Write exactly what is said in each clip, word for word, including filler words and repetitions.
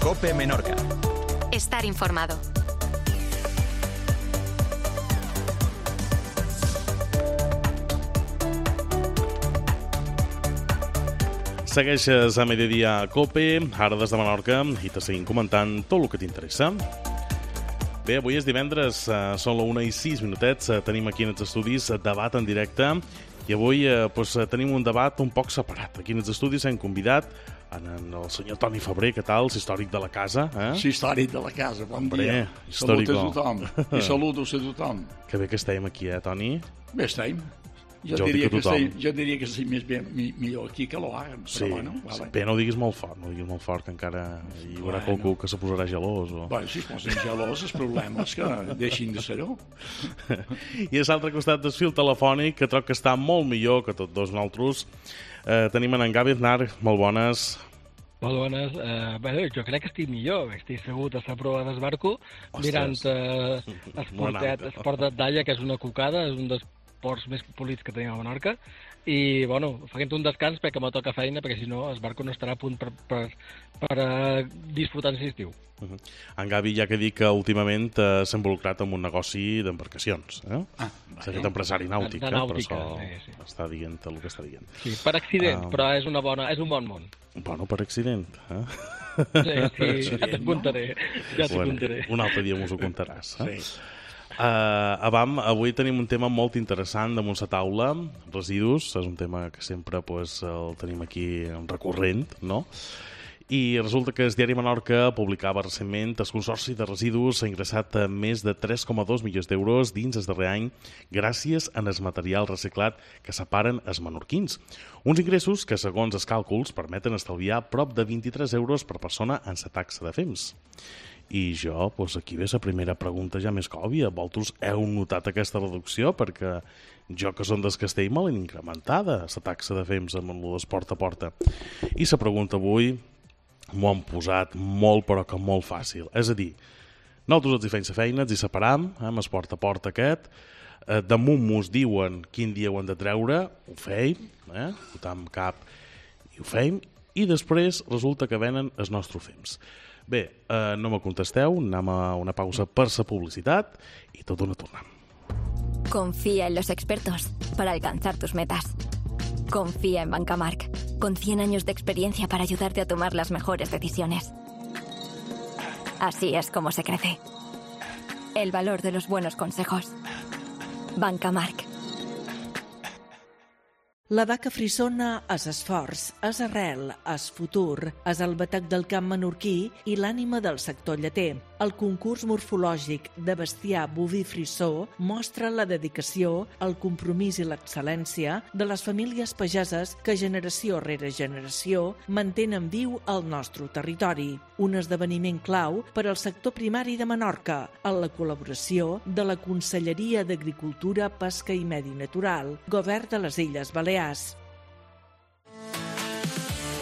COPE Menorca. Estar informado. Segueixes a Mediodía COPE, ara des de Menorca, i te seguim comentant tot el que t'interessa. Bé, avui és divendres, eh, són la una i sis minutets, eh, tenim aquí en els estudis debat en directe, i avui eh, pues, tenim un debat un poc separat. Aquí en els estudis hem convidat en, en el senyor Toni Febrer, què tal, històric de la casa. Eh? Sí, històric de la casa, bon Hombre, dia. històrico. Salut a tothom, i saludos a tothom. Que bé que estem aquí, eh, Toni? Bé estem. Jo, Jo diria dic a que tothom. estic, jo diria que estic més bé, mi, millor aquí que l'Oaga. Sí, bueno, sí, vale. bé, no ho diguis molt fort, no ho diguis molt fort, que encara hi haurà Bueno. qualcú que se posarà gelós. O... Bueno, si es posen gelós, els problemes que deixin de ser-ho. I a l'altre costat del fil telefònic, que troc que està molt millor que tots dos nosaltres, eh, tenim en Gavi Aznar. Molt bones. Molt bones. Eh, bé, jo crec que estic millor. Estic segut a la prova d'esbarco, mirant eh, Esportet, Esport d'Alla, que és una cucada, és un dels ports més polits que tenim a Menorca, i, bueno, fent un descans perquè me toca feina, perquè si no, Esbarco no estarà a punt per, per, per uh, disfrutar en l'estiu. Uh -huh. En Gavi, ja que dic que últimament eh, s'ha involucrat en un negoci d'embarcacions. Eh? Ah, S'ha fet empresari nàutic, de eh? nàutica, Per això sí, sí. està dient el que està dient. Sí, per accident, Ah. però és, una bona, és un bon món. Bueno, per accident. Eh? Sí, sí, ja t'ho contaré. Ja t'ho Bueno, contaré. un altre dia mos ho contaràs. Eh? Sí. Uh, Avam, avui tenim un tema molt interessant damunt la taula, residus, és un tema que sempre pues, el tenim aquí recurrent, no? I resulta que el diari Menorca publicava recentment el Consorci de Residus ha ingressat a més de tres coma dos milions d'euros dins el darrer any gràcies a el material reciclat que separen els menorquins. Uns ingressos que, segons els càlculs, permeten estalviar prop de vint-i-tres euros per persona en la taxa de fems. I jo, doncs aquí ve la primera pregunta ja més que òbvia. Vosaltres heu notat aquesta reducció? Perquè jo, que som del Castell, me l'he incrementada, la taxa de fems amb el d'esport a porta. I la pregunta avui m'ho han posat molt, però que molt fàcil. És a dir, nosaltres els hi feim la feina, els hi separam, eh, amb el porta a porta aquest, eh, damunt mos diuen quin dia ho han de treure, ho feim, eh, fotam cap i ho feim, i després resulta que venen els nostres fems. Bé, eh, no me contesteu, anem a una pausa per la publicitat i tot una tornem. Confía en los expertos para alcanzar tus metas. Confía en Bancamark, con cien años de experiencia para ayudarte a tomar las mejores decisiones. Así es como se crece. El valor de los buenos consejos. Bancamark. La vaca frissona és esforç, és arrel, és futur, és el batec del camp menorquí i l'ànima del sector lleter. El concurs morfològic de bestiar boví frissó mostra la dedicació, el compromís i l'excel·lència de les famílies pageses que generació rere generació mantenen viu el nostre territori. Un esdeveniment clau per al sector primari de Menorca, en la col·laboració de la Conselleria d'Agricultura, Pesca i Medi Natural, Govern de les Illes Balears.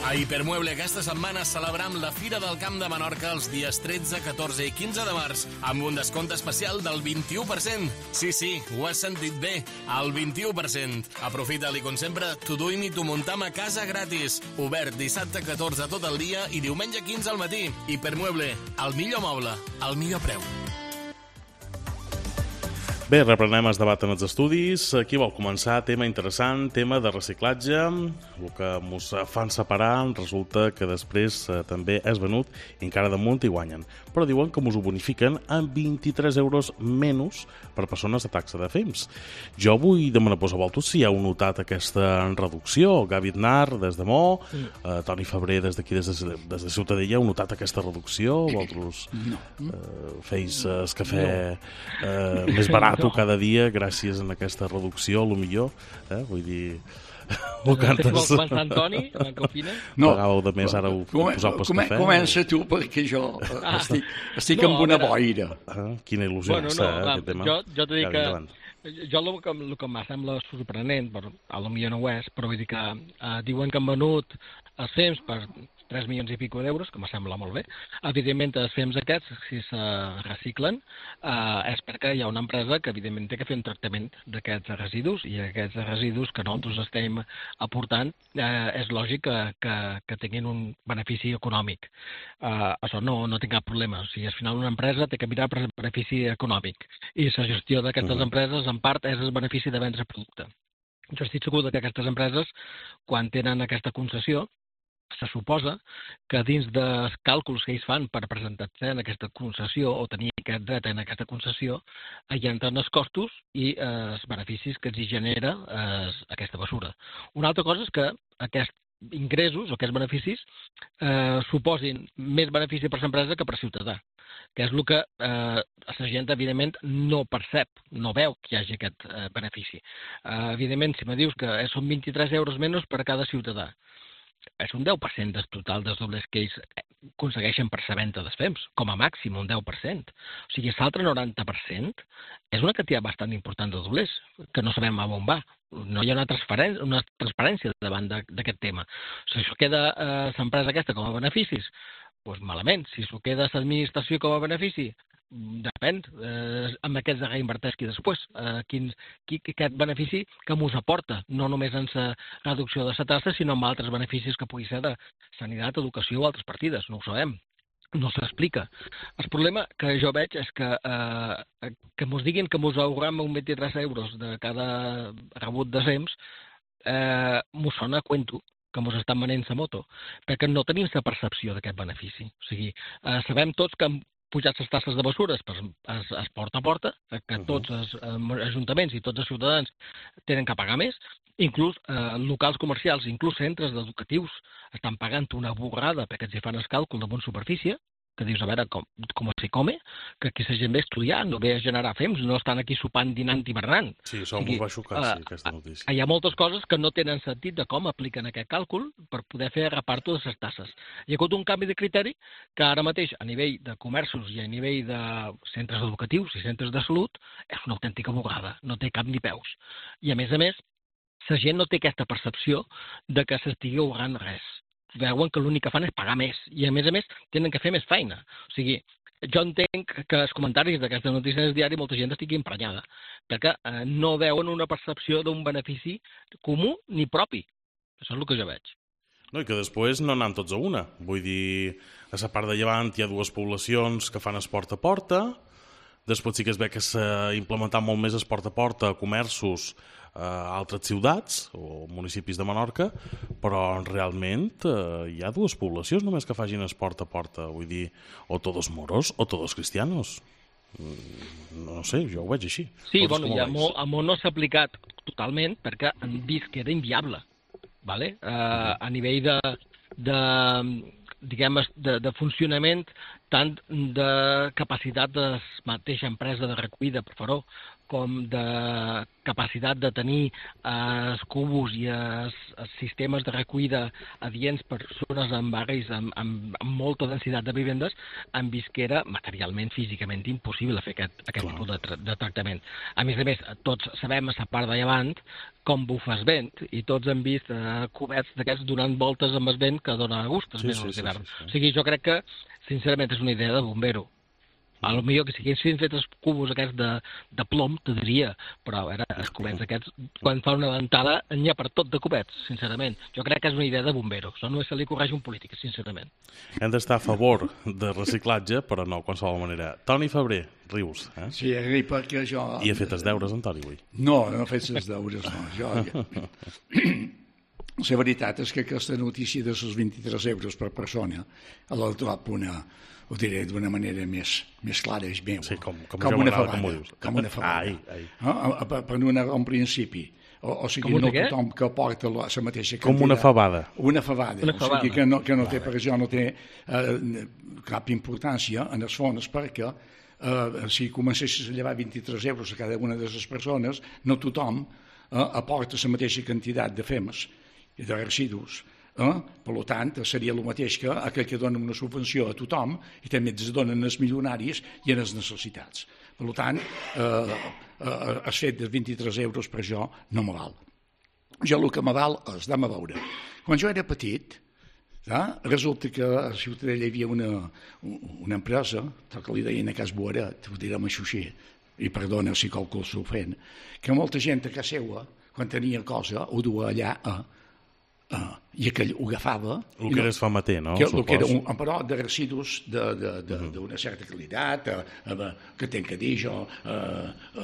A Hipermueble aquesta setmana celebram la Fira del Camp de Menorca els dies tretze, catorze i quinze de març amb un descompte especial del vint-i-u per cent. Sí, sí, ho has sentit bé, el vint-i-u per cent. Aprofita-li, com sempre, t'ho duim i t'ho muntam a casa gratis. Obert dissabte catorze tot el dia i diumenge quinze al matí. Hipermueble, el millor moble, el millor preu. Bé, reprenem el debat en els estudis. Qui vol començar? Tema interessant, tema de reciclatge. El que ens fan separar resulta que després eh, també és venut i encara damunt hi guanyen. Però diuen que ens ho bonifiquen amb vint-i-tres euros menys per persones de taxa de fems. Jo vull demanar a vosaltres si heu notat aquesta reducció. Gavi Aznar, des de Mo, eh, Toni Febrer, des d'aquí, des de, des de Ciutadella, heu notat aquesta reducció? Vosaltres No. eh, feis eh, el cafè eh, més barat cada dia gràcies a aquesta reducció, a lo millor, eh? Vull dir... Ho cantes... Vols començar, Antoni, en què opines? No. Pagàveu de més, ara ho Come, posau pel come, cafè. Comença tu, perquè jo Ah. estic, estic No, amb una a veure. boira. Ah, quina il·lusió Bueno, està, no, eh, clar, aquest tema. jo, jo t'he dit Ja, que... endavant. Jo el que, el que em sembla sorprenent, però a lo millor no ho és, però vull dir que eh, diuen que han venut els fems per tres milions i pico d'euros, que me sembla molt bé. Evidentment, els fems aquests, si se reciclen, eh, és perquè hi ha una empresa que, evidentment, té que fer un tractament d'aquests residus, i aquests residus que nosaltres estem aportant, eh, és lògic que, que, que tinguin un benefici econòmic. Eh, això no, no té cap problema. O sigui, al final una empresa té que mirar per benefici econòmic, i la gestió d'aquestes uh-huh. empreses, en part, és el benefici de vendre producte. Jo estic segur que aquestes empreses, quan tenen aquesta concessió, se suposa que dins dels càlculs que ells fan per presentar-se en aquesta concessió o tenir aquest dret en aquesta concessió, hi entren els costos i eh, els beneficis que els genera eh, aquesta mesura. Una altra cosa és que aquests ingressos o aquests beneficis eh, suposin més benefici per l'empresa que per ciutadà, que és el que eh, la gent, evidentment, no percep, no veu que hi hagi aquest eh, benefici. Eh, evidentment, si me dius que són vint-i-tres euros menys per cada ciutadà, és un deu per cent del total dels doblers que ells aconsegueixen per la venda dels fems, com a màxim un deu per cent. O sigui, l'altre noranta per cent és una quantitat bastant important de doblers, que no sabem a on va. No hi ha una transparència, una transparència davant d'aquest tema. Si això queda eh, l'empresa aquesta com a beneficis, doncs malament. Si s'ho queda l'administració com a benefici, depèn, eh, amb aquests de reinverteix-qui després. Eh, quin, qui, aquest benefici que mos aporta, no només en la reducció de la taxa, sinó amb altres beneficis que pugui ser de sanitat, educació o altres partides, no ho sabem. No s'explica. El problema que jo veig és que eh, que mos diguin que mos ahorram un vint-i-tres euros de cada rebut de fems, eh, mos sona a cuento que mos estan venent la moto, perquè no tenim la percepció d'aquest benefici. O sigui, eh, sabem tots que han pujat les tasses de bessures per es, es porta a porta, que tots els eh, ajuntaments i tots els ciutadans tenen que pagar més, inclús eh, locals comercials, inclús centres educatius estan pagant una borrada perquè els hi fan el càlcul damunt superfície, que dius, a veure, com, com s'hi come, que aquí la gent ve a estudiar, no ve a generar fems, no estan aquí sopant, dinant i bernant. Sí, això m'ho va xocar, sí, aquesta notícia. Hi ha moltes coses que no tenen sentit de com apliquen aquest càlcul per poder fer reparto de les tasses. Hi ha hagut un canvi de criteri que ara mateix, a nivell de comerços i a nivell de centres educatius i centres de salut, és una autèntica bugada, no té cap ni peus. I a més a més, la gent no té aquesta percepció de que s'estigui ahorrant res. Veuen que l'únic que fan és pagar més i, a més a més, tenen que fer més feina. O sigui, jo entenc que els comentaris d'aquesta notícia del diari molta gent estigui emprenyada, perquè eh, no veuen una percepció d'un benefici comú ni propi. Això és el que jo veig. No, i que després no anem tots a una. Vull dir, a la part de llevant hi ha dues poblacions que fan esport a porta, després sí que es ve que s'ha implementat molt més esport a porta a comerços a altres ciutats o municipis de Menorca, però realment eh, hi ha dues poblacions només que facin esport a porta, vull dir, o todos moros o todos cristianos. No sé, jo ho veig així. Sí, bueno, i a Mo no s'ha aplicat totalment perquè han vist que era inviable, ¿vale? Eh, a nivell de, de diguem, de, de funcionament, tant de capacitat de la mateixa empresa de recollida per Faró, com de capacitat de tenir eh, els cubos i els, els sistemes de recollida adients per zones en barris amb, amb, amb molta densitat de vivendes, han vist que era materialment, físicament impossible fer aquest, aquest tipus de, tra de tractament. A més a més, tots sabem a la part de llevant com bufa el vent, i tots hem vist eh, cubets d'aquests donant voltes amb el vent que dona gust als mesos d'hivern. Sí, sí, sí. O sigui, jo crec que, sincerament, és una idea de bombero. A lo millor que si haguessin fet els cubos aquests de, de plom, te diria, però a veure, els cubets aquests, quan fa una ventada, n'hi ha per tot de cubets, sincerament. Jo crec que és una idea de bombero, això no se li correix un polític, sincerament. Hem d'estar a favor de reciclatge, però no, de qualsevol manera. Toni Febrer, rius, eh? Sí, perquè jo... I ha fet els deures, en Toni, avui? No, no ha fet els deures, no. Jo... La veritat és que aquesta notícia de els vint-i-tres euros per persona a l'altrop una... ho diré d'una manera més, més clara, és meu. Sí, com, com, com una fabada. Com, com una fabada. Ai, ai. Ah, per, per una, un principi. O, o sigui, no tothom que porta la, la mateixa quantitat. Com una fabada. Una fabada. Una fabada. O sigui, que no, que no té, per això no té eh, cap importància en els fons, perquè eh, si comencessis a llevar vint-i-tres euros a cada una de les persones, no tothom eh, aporta la mateixa quantitat de femes i de residus. Eh? Per tant, seria el mateix que aquell que dona una subvenció a tothom i també es donen els milionaris i a les necessitats. Per tant, eh, eh, el fet de vint-i-tres euros per jo no me val. Jo el que me val és, anem a veure, quan jo era petit, Ah, resulta que a Ciutadella hi havia una, una empresa, que li deien a Cas Boaret, ho direm així així, i perdona si qualcú s'ofèn, que molta gent a casa seva, quan tenia cosa, ho duia allà a, a, i aquell ho agafava... El que era es fa mater, no? Que, el que era un, però de residus d'una certa qualitat, a, a, que ten que dir jo, a,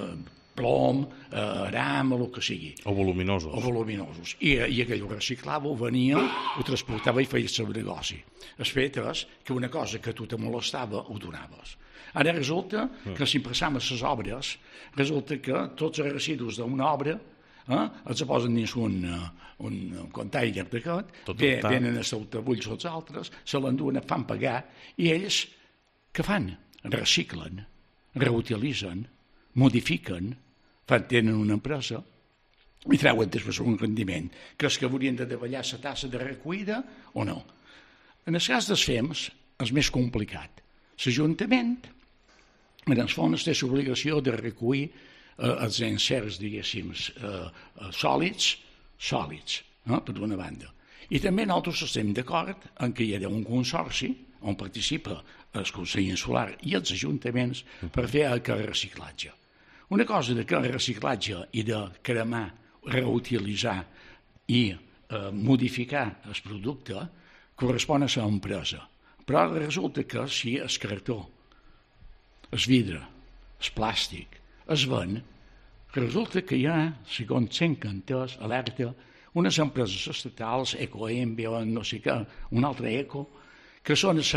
a, plom, aram, o el que sigui. O voluminosos. O voluminosos. I, i aquell ho reciclava, ho venia, ho transportava i feia el seu negoci. Es fet és que una cosa que a tu te molestava, ho donaves. Ara resulta que si passam a les obres, resulta que tots els residus d'una obra eh, els posen dins un, un container d'aquest, venen a saltabulls els altres, se l'enduen, fan pagar, i ells què fan? Reciclen, reutilitzen, modifiquen, fan, tenen una empresa i treuen després un rendiment. Creus que haurien de davallar la tassa de recollida o no? En el cas dels F E Ms és més complicat. L'Ajuntament, en els fons, té l'obligació de recollir eh, els encerts, diguéssim, eh, sòlids, sòlids, eh, per una banda. I també nosaltres estem d'acord en que hi ha un consorci on participa el Consell Insular i els ajuntaments per fer el reciclatge. Una cosa de que el reciclatge i de cremar, reutilitzar i eh, modificar el producte correspon a l'empresa. Però resulta que si el cartó, el vidre, el plàstic, es ven, resulta que hi ha, segons cinc canters, alerta, unes empreses estatals, Ecoembia, no sé què, un altre Eco, que són els,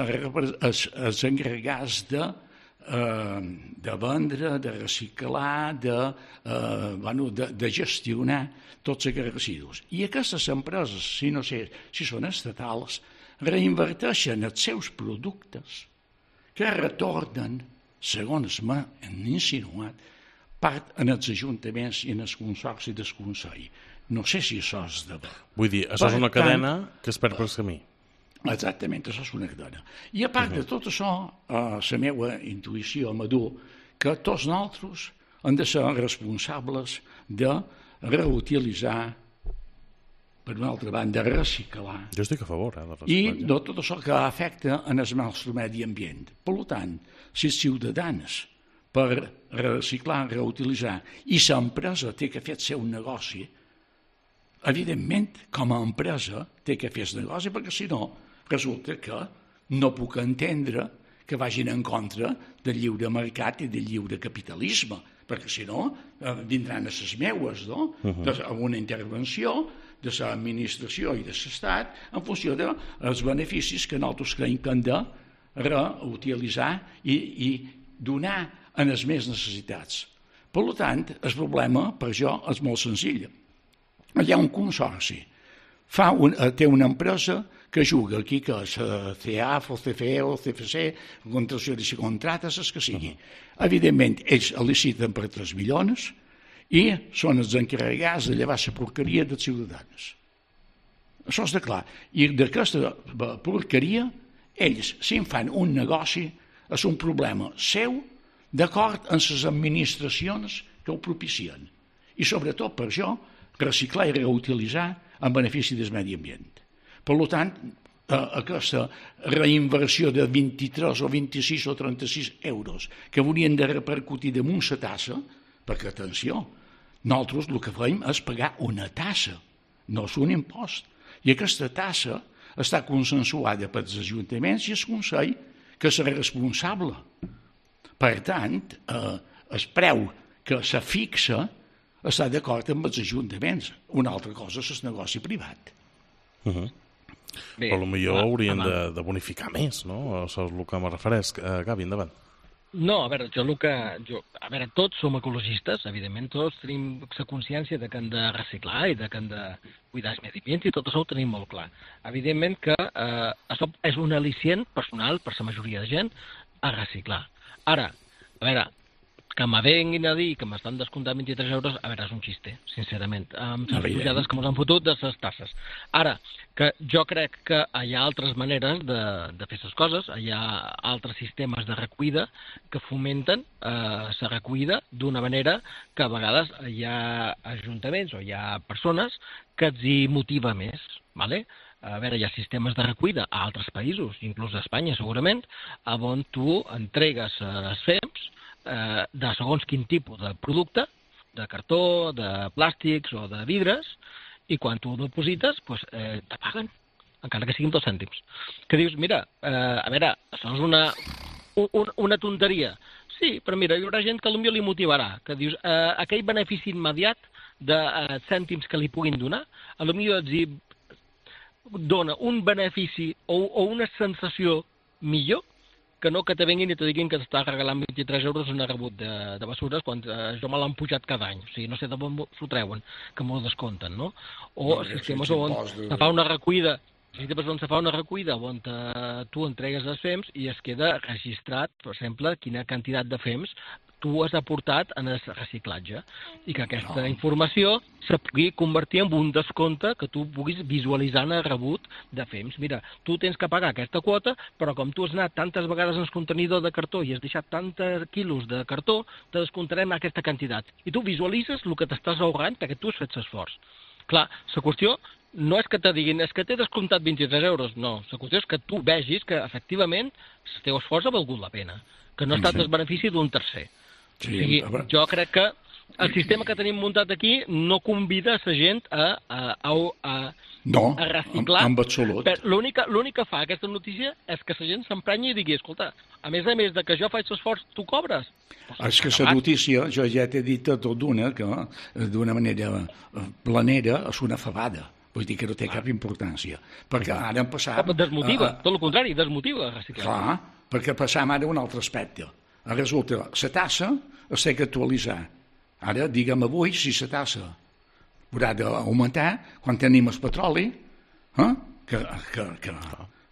els, els encarregats de Eh, de vendre, de reciclar, de, eh, bueno, de, de gestionar tots aquests residus. I aquestes empreses, si no sé si són estatals, reinverteixen els seus productes que retornen, segons m'han insinuat, part en els ajuntaments i en els consorcis del Consell. No sé si això és de... Vull dir, això és una cadena que es perd pel camí. Exactament, això és una cadena. I a part de tot això, eh, la meva intuïció m'adú que tots nosaltres hem de ser responsables de reutilitzar, per una altra banda, reciclar. Jo estic a favor, eh, de I reciclatge. de tot això que afecta en el nostre medi ambient. Per tant, si els ciutadans per reciclar, reutilitzar, i l'empresa té que fer el seu negoci, evidentment, com a empresa, té que fer el negoci, perquè si no, resulta que no puc entendre que vagin en contra del lliure mercat i del lliure capitalisme, perquè si no, eh, vindran a les meues, no? Uh -huh. Amb una intervenció de l'administració i de l'Estat en funció dels beneficis que nosaltres creiem que hem de reutilitzar i, i donar a les més necessitats. Per tant, el problema, per jo, és molt senzill. Hi ha un consorci, fa un, té una empresa que juga aquí, que és C A F, o C F E, o C F C, contracció de contractes, el que sigui. Uh-huh. Evidentment, ells liciten per tres milions i són els encarregats de llevar la porqueria dels ciutadans. Això és de clar. I d'aquesta porqueria, ells, si en fan un negoci, és un problema seu, d'acord amb les administracions que ho propicien. I sobretot per això, reciclar i reutilitzar en benefici del medi ambient. Per tant, aquesta reinversió de vint-i-tres o vint-i-sis o trenta-sis euros que haurien de repercutir damunt la tassa, perquè, atenció, nosaltres el que fem és pagar una tassa, no és un impost. I aquesta tassa està consensuada pels ajuntaments i el Consell, que és responsable. Per tant, eh, el preu que se fixa està d'acord amb els ajuntaments. Una altra cosa és el negoci privat. Uh -huh. Bé, però potser haurien de, de bonificar més, no? Això és el que me refereix. Uh, Gavi, endavant. No, a veure, jo el que... Jo, a veure, tots som ecologistes, evidentment, tots tenim la consciència de que hem de reciclar i de que hem de cuidar el medi ambient i tot això ho tenim molt clar. Evidentment que eh, això és un al·licient personal per la majoria de gent a reciclar. Ara, a veure, que me venguin a dir que m'estan descomptant vint-i-tres euros, a veure, és un xiste, sincerament, amb les pujades que ens han fotut de les tasses. Ara, que jo crec que hi ha altres maneres de, de fer les coses, hi ha altres sistemes de recollida que fomenten la eh, recollida d'una manera que a vegades hi ha ajuntaments o hi ha persones que els hi motiva més, ¿vale? a veure, hi ha sistemes de recollida a altres països, inclús a Espanya segurament, on tu entregues els fems eh, de segons quin tipus de producte, de cartó, de plàstics o de vidres, i quan tu ho deposites, pues, eh, te paguen, encara que siguin dos cèntims. Que dius, mira, eh, a veure, això és una, un, una tonteria. Sí, però mira, hi haurà gent que potser li motivarà, que dius, eh, aquell benefici immediat de eh, cèntims que li puguin donar, potser els dona un benefici o, o una sensació millor que no que te venguin i te diguin que t'està regalant vint-i-tres euros en rebut de, de bessures quan eh, jo me l'han pujat cada any. O sigui, no sé de on s'ho treuen, que m'ho descompten, no? O no, sistemes on se fa una recollida, sistemes on se fa una recollida on te, tu entregues els fems i es queda registrat, per exemple, quina quantitat de fems tu has aportat en el reciclatge i que aquesta no. informació se pugui convertir en un descompte que tu puguis visualitzar en el rebut de fems. Mira, tu tens que pagar aquesta quota, però com tu has anat tantes vegades en el contenidor de cartó i has deixat tantes quilos de cartó, te descomptarem aquesta quantitat. I tu visualitzes el que t'estàs ahorrant perquè tu has fet l'esforç. Clar, la qüestió no és que te diguin, és que t'he descomptat vint-i-tres euros, no. La qüestió és que tu vegis que, efectivament, el teu esforç ha valgut la pena, que no ha estat el benefici d'un tercer. Sí, o sigui, jo crec que el sistema que tenim muntat aquí no convida a la gent a, a, a, a, no, a reciclar. En, en absolut. L'únic que fa aquesta notícia és que la gent s'emprenyi i digui, escolta, a més a més de que jo faig l'esforç, tu cobres? Pues és que la notícia, jo ja t'he dit tot d'una, que d'una manera planera és una fabada. Vull dir que no té cap importància. Perquè ara hem passat... Desmotiva, a, a, tot el contrari, desmotiva reciclar. Clar, perquè passam ara a un altre aspecte. Resulta, la tassa es té que actualitzar. Ara, diguem avui, si la tassa haurà d'augmentar, quan tenim el petroli, eh? que, que, que,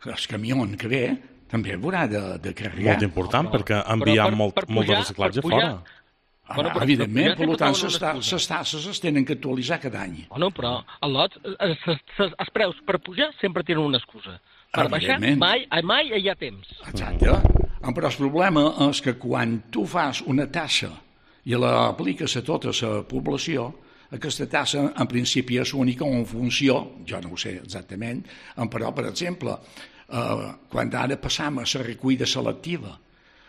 que el camió que ve també haurà de, de carregar. Molt important, no, perquè enviem molt, pujar, molt de reciclatge pujar, fora. Ah, bueno, però, evidentment, per tant, les tasses es tenen que actualitzar cada any. Bueno, però el lot, els, els, els preus per pujar sempre tenen una excusa. Per baixar, mai, mai hi ha temps. Exacte. Però el problema és que quan tu fas una tassa i l'apliques a tota la població, aquesta tassa en principi és única en funció, jo no ho sé exactament, però, per exemple, eh, quan ara passam a la recollida selectiva,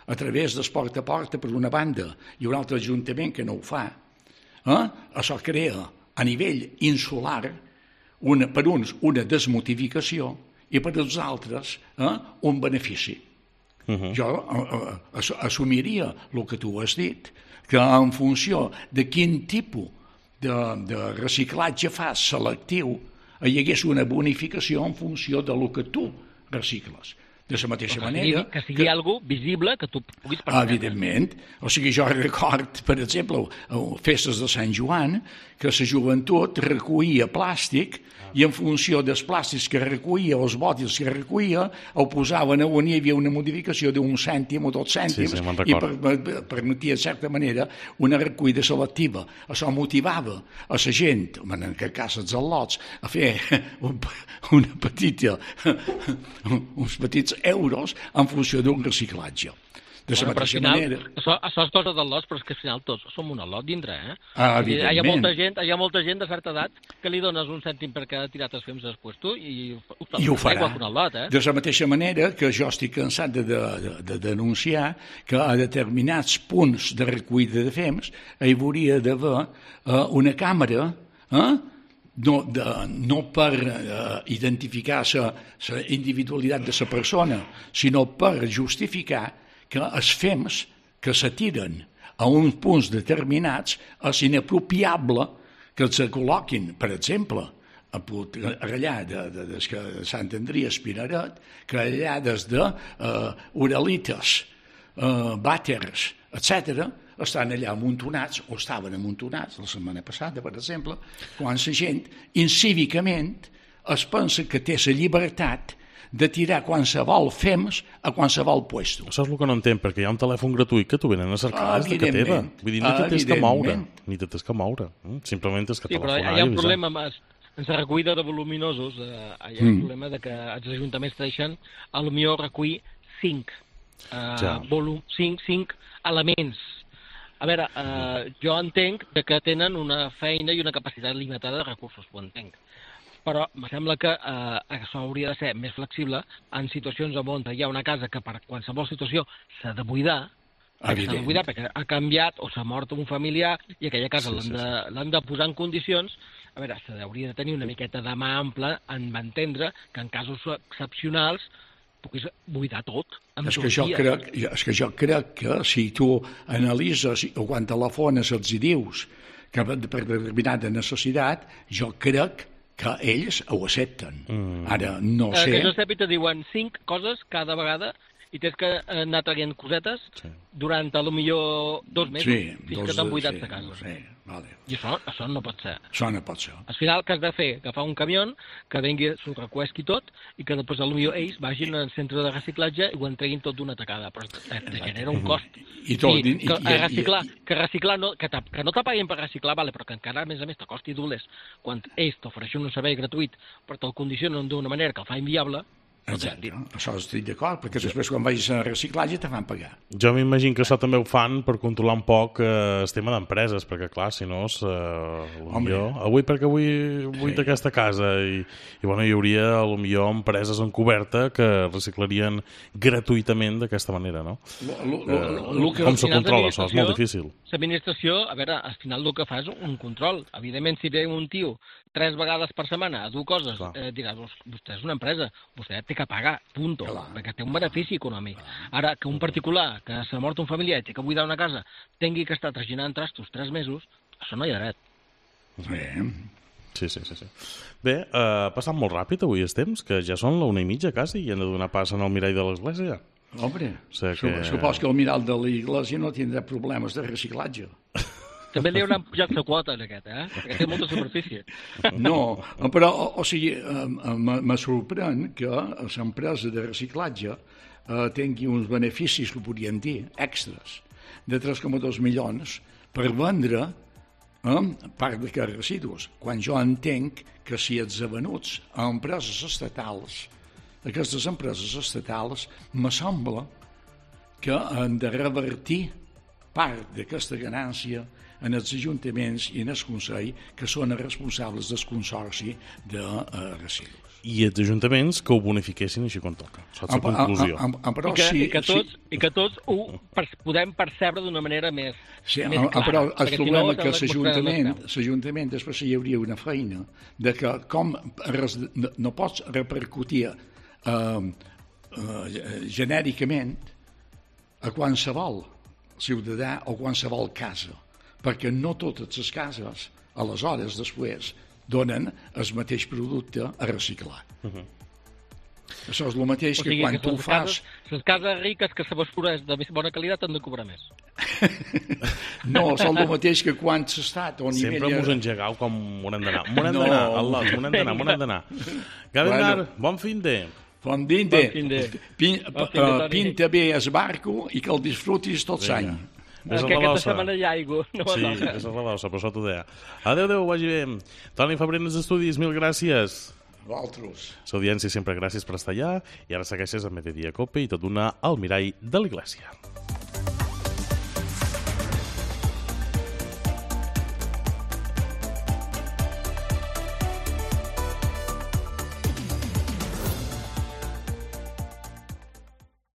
a través del porta a porta per una banda i un altre ajuntament que no ho fa, eh, això crea a nivell insular una, per uns una desmotivació i per als altres eh, un benefici. Uh-huh. Jo uh, uh, assumiria el que tu has dit, que en funció de quin tipus de, de reciclatge fas selectiu hi hagués una bonificació en funció de lo que tu recicles. De la mateixa que manera... Sigui, que sigui que... algo visible que tu puguis permetre. Evidentment. O sigui, jo record, per exemple, festes de Sant Joan, que la joventut recollia plàstic i en funció dels plàstics que recollia, els bòtils que recollia, ho posaven on hi havia una modificació d'un cèntim o dos cèntims sí, sí, i per, permetia, en certa manera, una recollida selectiva. Això motivava a la gent, en aquest cas els al·lots, a fer un, una petita, uns petits euros en funció d'un reciclatge. De la bueno, mateixa final, manera... Això, això és cosa del lot, però és que al final tots som un al·lot dintre, eh? Ah, hi, ha molta gent, hi ha molta gent de certa edat que li dones un cèntim perquè ha tirat els fems després tu i, I ho farà. Un al·lot, eh? De la mateixa manera que jo estic cansat de, de, de, de denunciar que a determinats punts de recollida de fems hi hauria d'haver uh, una càmera eh? no, de, no per uh, identificar la individualitat de la persona, sinó per justificar que els fems que s'atiren a uns punts determinats és inapropiable que els col·loquin, per exemple, allà de, de, de, de Sant Andrea Espinaret, que allà des de uh, Uralites, uh, Vàters, etcètera, estan allà amuntonats, o estaven amuntonats la setmana passada, per exemple, quan la gent, incívicament, es pensa que té la llibertat de tirar qualsevol fems a qualsevol puesto. Això és el que no entenc, perquè hi ha un telèfon gratuït que tu venen a cercar des de que teva. Vull dir, ni te tens que moure. Ni te tens que moure. Simplement tens que sí, telefonar. Però hi ha un problema amb la recollida de voluminosos. Eh, hi ha un mm. problema de que els ajuntaments deixen a lo millor recollir cinc, eh, ja. volum, cinc, cinc elements. A veure, eh, jo entenc que tenen una feina i una capacitat limitada de recursos, ho entenc. però em sembla que eh, això hauria de ser més flexible en situacions on hi ha una casa que per qualsevol situació s'ha de buidar, s'ha de buidar perquè ha canviat o s'ha mort un familiar i aquella casa sí, l'han de, sí, sí. de posar en condicions. A veure, s'hauria de tenir una miqueta de mà ampla en entendre que en casos excepcionals puguis buidar tot. És que, jo crec, és que jo crec que si tu analitzes o quan telefones els hi dius que per determinada necessitat, jo crec que ells ho accepten. Mm. Ara, no sé... Eh, que jo sé, te diuen cinc coses cada vegada i tens que anar traient cosetes sí. durant, a lo millor, dos mesos, sí, fins dos, que t'han buidat sí, de casa. Sí, vale. I això, això no pot ser. Això no pot ser. Al final, què has de fer? Agafar un camió que vengui, s'ho recuesqui tot, i que després, a lo millor, ells vagin al centre de reciclatge i ho entreguin tot d'una tacada. Però te genera un cost. I, tot, I, i, que, i, reciclar, i, que reciclar no, que, que no t'apaguin per reciclar, vale, però que encara, a més a més, t'acosti dobles quan ells t'ofereixen un servei gratuït, però te'l condicionen d'una manera que el fa inviable. Exacte, això estic d'acord, perquè després quan vagis a reciclatge te fan pagar. Jo m'imagino que això també ho fan per controlar un poc eh, el tema d'empreses, perquè clar, si no, eh, millor, avui perquè avui vull sí. aquesta casa i, i bueno, hi hauria potser empreses encoberta que reciclarien gratuïtament d'aquesta manera, no? Lo, lo, lo, eh, lo que, com se controla això? És molt difícil. L'administració, a veure, al final el que fa és un control. Evidentment, si ve un tio tres vegades per setmana a dur coses, eh, diràs, vostè és una empresa, vostè té que pagar, punto, clar, perquè té un benefici econòmic. Ara, que un particular, que s'ha mort un familiar i té que buidar una casa, tingui que estar traginant trastos tres mesos, això no hi ha dret. Bé. Sí, sí, sí. sí. Bé, eh, ha passat molt ràpid avui els temps, que ja són l'una i mitja quasi i han de donar pas en el mirall de l'església. Home, o sigui que... supos que el mirall de l'església no tindrà problemes de reciclatge. També li hauran pujat la quota en aquest, eh? Perquè té molta superfície. No, però, o, o sigui, me sorprèn que l'empresa de reciclatge eh, tingui uns beneficis, que podríem dir, extras, de tres coma dos milions per vendre eh, part d'aquests residus, quan jo entenc que si els avenuts a empreses estatals, aquestes empreses estatals, me sembla que han de revertir part d'aquesta ganància en els ajuntaments i en el Consell, que són els responsables del consorci de uh, residus. I els ajuntaments que ho bonifiquessin així com toca. Això és la conclusió. A, a, a, però I, que, sí, i, que tots, sí. I que tots ho per, podem percebre d'una manera més, sí, més clara. Però el problema si no, que l'Ajuntament, l'Ajuntament després hi hauria una feina de que com res, no, no pots repercutir uh, uh, genèricament a qualsevol ciutadà o qualsevol casa, perquè no totes les cases, aleshores, després, donen el mateix producte a reciclar. Uh-huh. Això és el mateix o sigui, que quan que tu fas... Cases, les cases riques que la basura és de més bona qualitat han de cobrar més. No, és el mateix que quan s'ha estat... Sempre mos engegau com on hem d'anar. On hem d'anar, Allah, on hem d'anar, on hem d'anar. Gavinar, bueno, bon fin de... Bon fin de... Pin, bon fin de uh, pinta bé el barco i que el disfrutis tot l'any. Que aquesta setmana hi ha aigua. No sí, és la bausa, però això t'ho deia. Adéu, adéu, vagi bé. Toni Fabrenes Estudis, mil gràcies. Vosaltres. L'audiència sempre gràcies per estar allà i ara segueixes a Mediodía Cope i tot una al mirall de l'Iglésia.